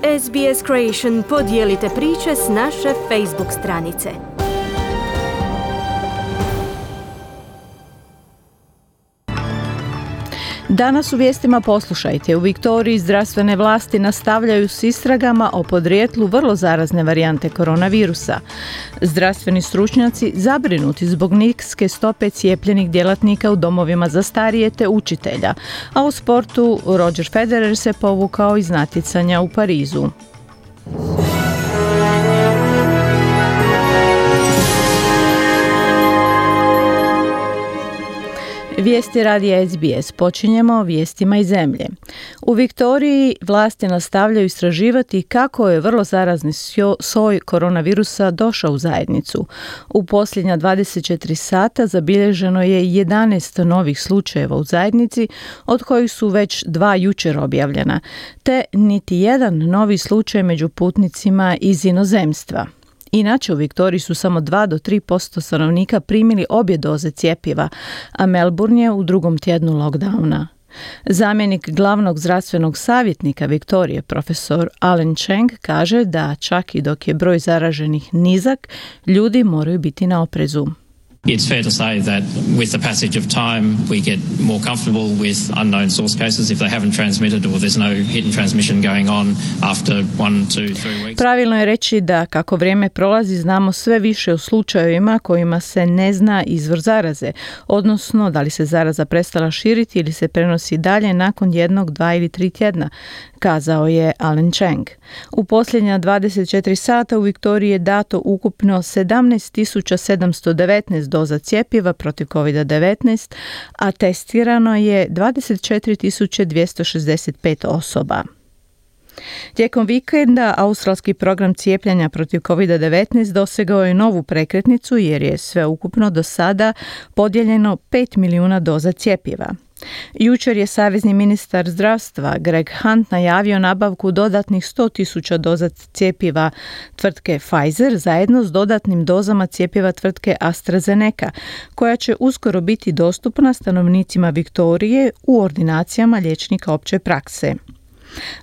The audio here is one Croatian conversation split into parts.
SBS Creation podijelite priče s naše Facebook stranice. Danas u vijestima poslušajte. U Viktoriji zdravstvene vlasti nastavljaju s istragama o podrijetlu vrlo zarazne varijante koronavirusa. Zdravstveni stručnjaci zabrinuti zbog niske stope cijepljenih djelatnika u domovima za starije te učitelja. A u sportu Roger Federer se povukao iz natjecanja u Parizu. Vijesti radija SBS. Počinjemo vijestima iz zemlje. U Viktoriji vlasti nastavljaju istraživati kako je vrlo zarazni soj koronavirusa došao u zajednicu. U posljednja 24 sata zabilježeno je 11 novih slučajeva u zajednici, od kojih su već 2 jučer objavljena, te niti jedan novi slučaj među putnicima iz inozemstva. Inače, u Viktoriji su samo 2 do 3% stanovnika primili obje doze cjepiva, a Melbourne je u drugom tjednu lockdowna. Zamjenik glavnog zdravstvenog savjetnika Viktorije, profesor Alan Cheng, kaže da čak i dok je broj zaraženih nizak, ljudi moraju biti na oprezu. It's fair to say that with the passage of time we get more comfortable with unknown source cases if they haven't transmitted or there's no hidden transmission going on after 1, 2, 3 weeks. Pravilno je reći da kako vrijeme prolazi znamo sve više o slučajevima kojima se ne zna izvor zaraze, odnosno da li se zaraza prestala širiti ili se prenosi dalje nakon 1, 2 ili 3 tjedna, kazao je Alan Cheng. U posljednja 24 sata u Viktoriji je dato ukupno 17.719 doza cjepiva protiv COVID-19, a testirano je 24.265 osoba. Tijekom vikenda australski program cijepljenja protiv COVID-19 dosegao je novu prekretnicu jer je sveukupno do sada podijeljeno 5 milijuna doza cjepiva. Jučer je savezni ministar zdravstva Greg Hunt najavio nabavku dodatnih 100.000 doza cjepiva tvrtke Pfizer zajedno s dodatnim dozama cjepiva tvrtke AstraZeneca, koja će uskoro biti dostupna stanovnicima Viktorije u ordinacijama liječnika opće prakse.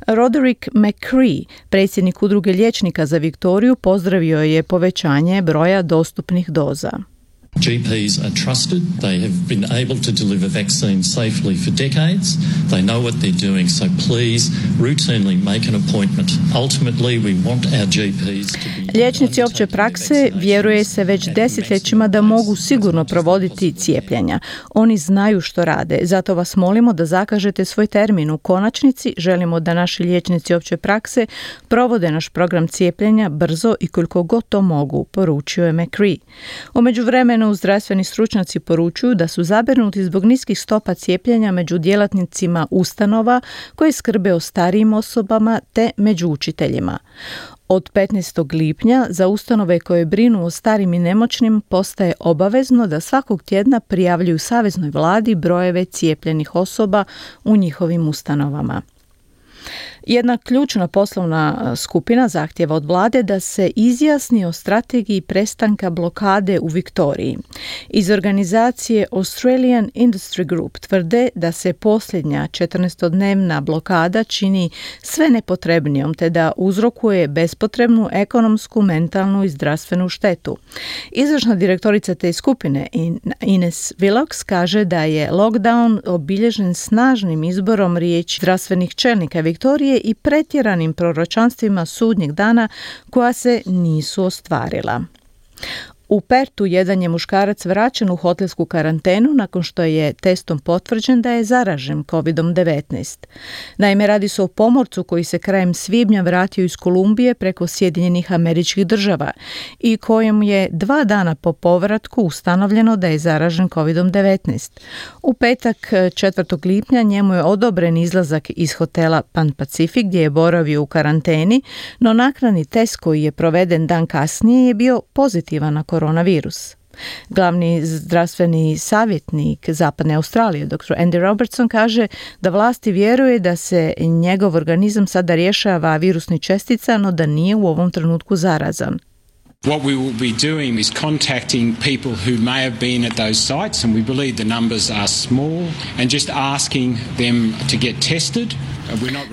Roderick McCree, predsjednik udruge liječnika za Viktoriju, pozdravio je povećanje broja dostupnih doza. GPs are trusted. They have been able to deliver vaccines safely for decades. They know what they're doing, so please routinely make an appointment. Ultimately, we want our GPs to be... Liječnici opće prakse vjeruje se već desetljećima da mogu sigurno provoditi cijepljenja. Oni znaju što rade, zato vas molimo da zakažete svoj termin. U konačnici želimo da naši liječnici opće prakse provode naš program cijepljenja brzo i koliko god to mogu, poručio je McCree. U međuvremenu zdravstveni stručnjaci poručuju da su zabrinuti zbog niskih stopa cijepljenja među djelatnicima ustanova koje skrbe o starijim osobama te među učiteljima. Od 15. lipnja za ustanove koje brinu o starim i nemoćnim postaje obavezno da svakog tjedna prijavljuju saveznoj vladi brojeve cijepljenih osoba u njihovim ustanovama. Jedna ključna poslovna skupina zahtjeva od vlade da se izjasni o strategiji prestanka blokade u Viktoriji. Iz organizacije Australian Industry Group tvrde da se posljednja 14-dnevna blokada čini sve nepotrebnijom te da uzrokuje bespotrebnu ekonomsku, mentalnu i zdravstvenu štetu. Izvršna direktorica te skupine Ines Willox kaže da je lockdown obilježen snažnim izborom riječi zdravstvenih čelnika Viktorije i pretjeranim proročanstvima sudnjeg dana koja se nisu ostvarila. U Pertu jedan je muškarac vraćen u hotelsku karantenu nakon što je testom potvrđen da je zaražen COVID-19. Naime, radi se o pomorcu koji se krajem svibnja vratio iz Kolumbije preko Sjedinjenih Američkih Država i kojem je 2 dana po povratku ustanovljeno da je zaražen COVID-19. U petak 4. lipnja njemu je odobren izlazak iz hotela Pan Pacific gdje je boravio u karanteni, no naknadni test koji je proveden dan kasnije je bio pozitivan na koronavirus. Glavni zdravstveni savjetnik Zapadne Australije, dr. Andy Robertson, kaže da vlasti vjeruje da se njegov organizam sada rješava virusnih čestica, no da nije u ovom trenutku zarazan. What we will be doing is contacting people who may have been at those sites, and we believe the numbers are small, and just asking them to get tested.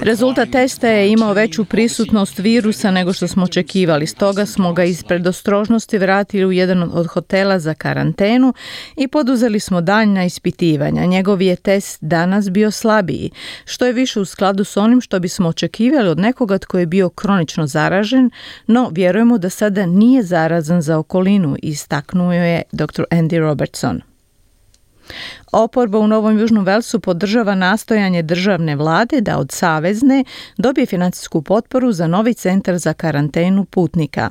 Rezultat testa je imao veću prisutnost virusa nego što smo očekivali, stoga smo ga iz predostrožnosti vratili u jedan od hotela za karantenu i poduzeli smo daljnja ispitivanja. Njegov je test danas bio slabiji, što je više u skladu s onim što bismo očekivali od nekoga tko je bio kronično zaražen, no vjerujemo da sada nije zarazan za okolinu, istaknuo je dr. Andy Robertson. Oporba u Novom Južnom Velsu podržava nastojanje državne vlade da od savezne dobije financijsku potporu za novi centar za karantenu putnika.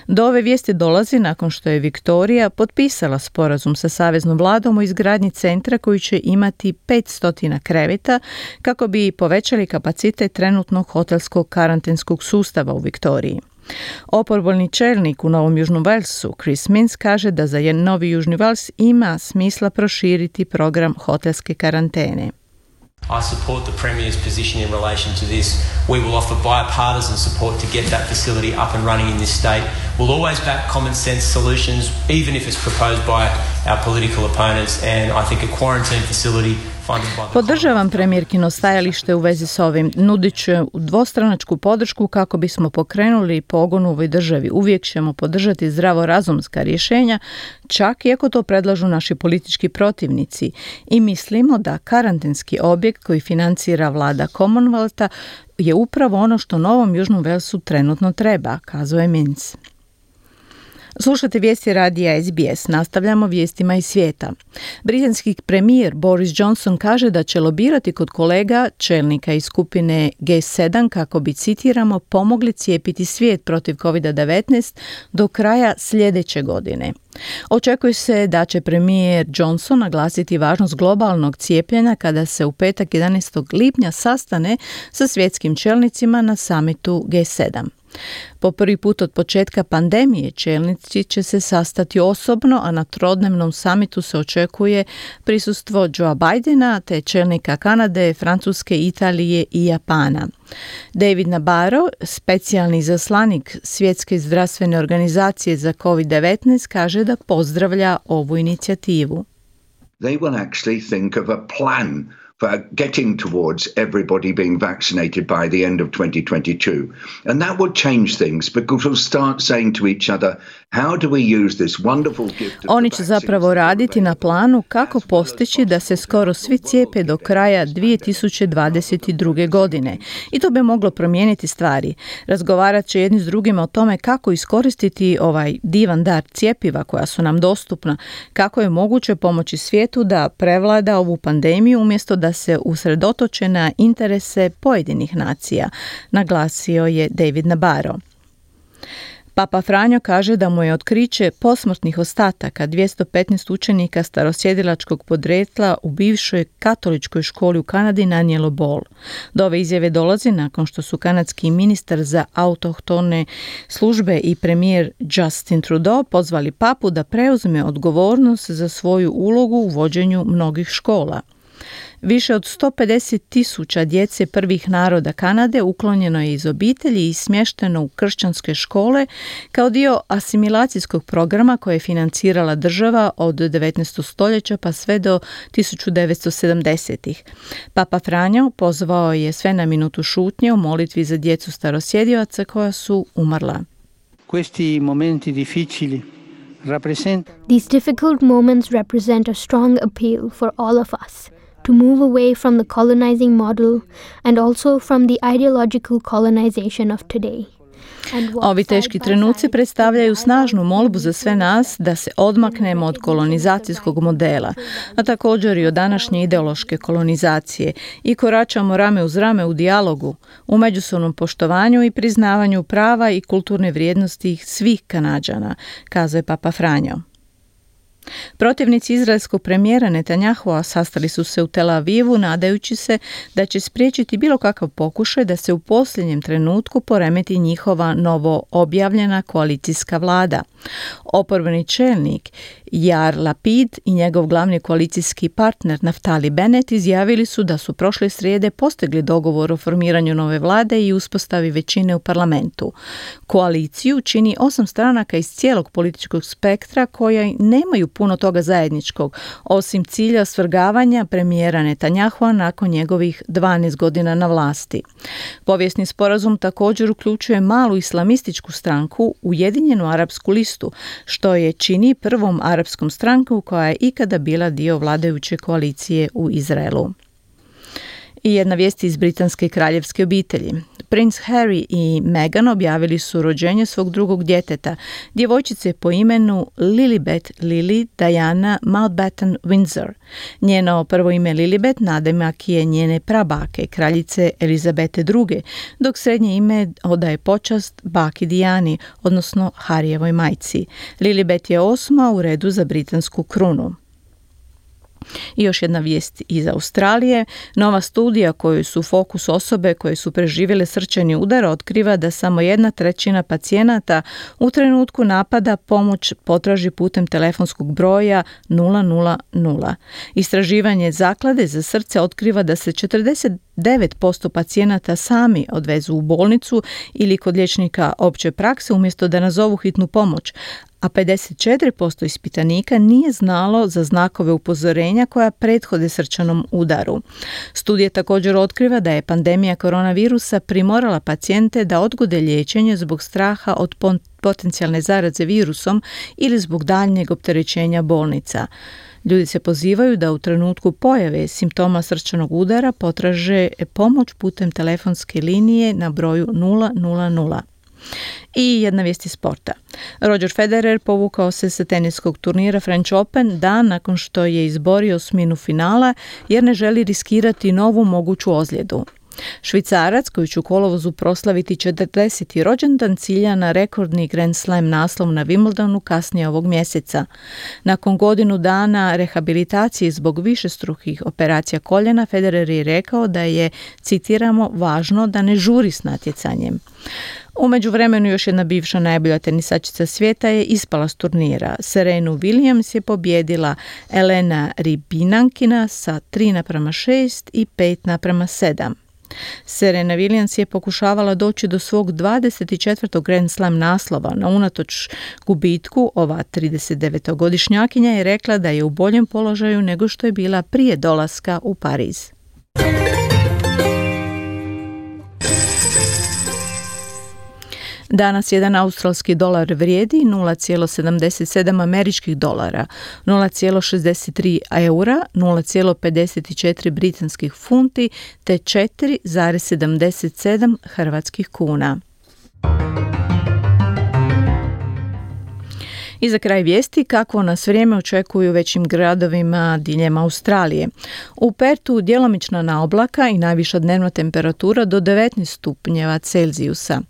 Do ove vijesti dolazi nakon što je Viktorija potpisala sporazum sa saveznom vladom o izgradnji centra koji će imati 500 kreveta kako bi povećali kapacitet trenutnog hotelskog karantenskog sustava u Viktoriji. Oporbeni čelnik u Novom Južnom Velsu, Chris Minns, kaže da za Novi Južni Vels ima smisla proširiti program hotelske karantene. I support the Premier's position in relation to this. We will offer bipartisan support to get that facility up and running in this state. We'll always back common sense solutions, even if it's proposed by our political opponents, and I think a quarantine facility. Podržavam premijerkino stajalište u vezi s ovim. Nudit će dvostranačku podršku kako bismo pokrenuli pogon u ovoj državi. Uvijek ćemo podržati zdravorazumska rješenja, čak i ako to predlažu naši politički protivnici. I mislimo da karantenski objekt koji financira vlada Commonwealtha je upravo ono što Novom Južnom Velsu trenutno treba, kazao je Minns. Slušate vijesti radija SBS. Nastavljamo vijestima iz svijeta. Britanski premijer Boris Johnson kaže da će lobirati kod kolega čelnika iz skupine G7 kako bi, citiramo, pomogli cijepiti svijet protiv COVID-19 do kraja sljedeće godine. Očekuje se da će premijer Johnson naglasiti važnost globalnog cijepljenja kada se u petak 11. lipnja sastane sa svjetskim čelnicima na samitu G7. Po prvi put od početka pandemije čelnici će se sastati osobno, a na trodnevnom samitu se očekuje prisustvo Joea Bidena te čelnika Kanade, Francuske, Italije i Japana. David Nabarro, specijalni izaslanik Svjetske zdravstvene organizacije za COVID-19, kaže da pozdravlja ovu inicijativu. They will actually think of a plan for getting towards everybody being vaccinated by the end of 2022. And that would change things because we'll start saying to each other, how do we use this wonderful gift of Oni će zapravo raditi na planu kako postići da se skoro svi cijepe do kraja 2022. godine. I to bi moglo promijeniti stvari. Razgovarat će jedni s drugima o tome kako iskoristiti ovaj divan dar cjepiva koja su nam dostupna, kako je moguće pomoći svijetu da prevlada ovu pandemiju umjesto da se usredotoče na interese pojedinih nacija, naglasio je David Nabarro. Papa Franjo kaže da mu je otkriće posmrtnih ostataka 215 učenika starosjedilačkog podrijetla u bivšoj katoličkoj školi u Kanadi nanijelo bol. Do ove izjave dolazi nakon što su kanadski ministar za autohtone službe i premijer Justin Trudeau pozvali papu da preuzme odgovornost za svoju ulogu u vođenju mnogih škola. Više od 150,000 djece prvih naroda Kanade uklonjeno je iz obitelji i smješteno u kršćanske škole kao dio asimilacijskog programa koje je financirala država od 19. stoljeća pa sve do 1970-ih. Papa Franjo pozvao je sve na minutu šutnje u molitvi za djecu starosjedioca koja su umrla. Questi momenti difficili These difficult moments represent a strong appeal for all of us to move away from the colonizing model and also from the ideological colonization of today. Ovi teški trenuci predstavljaju snažnu molbu za sve nas da se odmaknemo od kolonizacijskog modela, a također i od današnje ideološke kolonizacije i koračamo rame uz rame u dijalogu, u međusobnom poštovanju i priznavanju prava i kulturne vrijednosti svih Kanađana, kazao je Papa Franjo. Protivnici izraelskog premijera Netanyahua sastali su se u Tel Avivu nadajući se da će spriječiti bilo kakav pokušaj da se u posljednjem trenutku poremeti njihova novo objavljena koalicijska vlada. Oporbeni čelnik Yair Lapid i njegov glavni koalicijski partner Naftali Bennett izjavili su da su prošle srijede postigli dogovor o formiranju nove vlade i uspostavi većine u parlamentu. Koaliciju čini 8 stranaka iz cijelog političkog spektra koje nemaju puno toga zajedničkog, osim cilja svrgavanja premijera Netanyahua nakon njegovih 12 godina na vlasti. Povijesni sporazum također uključuje malu islamističku stranku Ujedinjenu arapsku listu, što je čini prvom arapskom strankom koja je ikada bila dio vladajuće koalicije u Izraelu. I jedna vijest iz britanske kraljevske obitelji. Princ Harry i Meghan objavili su rođenje svog drugog djeteta, djevojčice po imenu Lilibet Lily Diana Mountbatten Windsor. Njeno prvo ime Lilibet nadimak je njene prabake, kraljice Elizabete II, dok srednje ime odaje počast baki Dijani, odnosno Harijevoj majci. Lilibet je 8. u redu za britansku krunu. I još jedna vijest iz Australije. Nova studija koju su fokus osobe koje su preživjele srčani udar otkriva da samo 1/3 pacijenata u trenutku napada pomoć potraži putem telefonskog broja 000. Istraživanje Zaklade za srce otkriva da se 49% pacijenata sami odvezu u bolnicu ili kod liječnika opće prakse umjesto da nazovu hitnu pomoć, a 54% ispitanika nije znalo za znakove upozorenja koja prethode srčanom udaru. Studija također otkriva da je pandemija koronavirusa primorala pacijente da odgode liječenje zbog straha od potencijalne zaraze virusom ili zbog daljnjeg opterećenja bolnica. Ljudi se pozivaju da u trenutku pojave simptoma srčanog udara potraže pomoć putem telefonske linije na broju 000. I jedna vijest iz sporta. Roger Federer povukao se sa teniskog turnira French Open dan nakon što je izborio osminu finala jer ne želi riskirati novu moguću ozljedu. Švicarac, koji će u kolovozu proslaviti 40. rođendan, cilja na rekordni Grand Slam naslov na Wimbledonu kasnije ovog mjeseca. Nakon godinu dana rehabilitacije zbog višestrukih operacija koljena, Federer je rekao da je, citiramo, važno da ne žuri s natjecanjem. U međuvremenu još jedna bivša najbolja tenisačica svijeta je ispala s turnira. Serenu Williams je pobjedila Elena Rybinankina sa 3:6 i 5:7. Serena Williams je pokušavala doći do svog 24. Grand Slam naslova, no unatoč gubitku ova 39-godišnjakinja je rekla da je u boljem položaju nego što je bila prije dolaska u Pariz. Danas jedan australski dolar vrijedi 0,77 američkih dolara, 0,63 eura, 0,54 britanskih funti te 4,77 hrvatskih kuna. I za kraj vijesti kako nas vrijeme očekuju u većim gradovima diljem Australije. U Pertu djelomična naoblaka i najviša dnevna temperatura do 19 stupnjeva Celzijusa.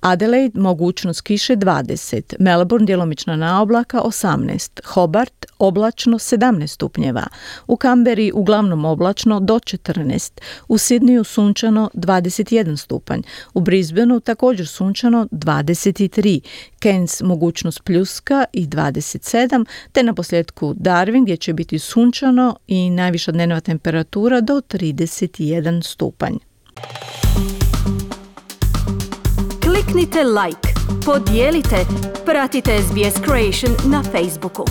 Adelaide mogućnost kiše 20, Melbourne djelomična naoblaka 18, Hobart oblačno 17 stupnjeva, u Kamberi uglavnom oblačno do 14, u Sydneyu sunčano 21 stupanj, u Brisbaneu također sunčano 23, Cairns mogućnost pljuska i 27, te na posljedku Darwin gdje će biti sunčano i najviša dnevna temperatura do 31 stupanj. Kliknite like, podijelite, pratite SBS Creation na Facebooku.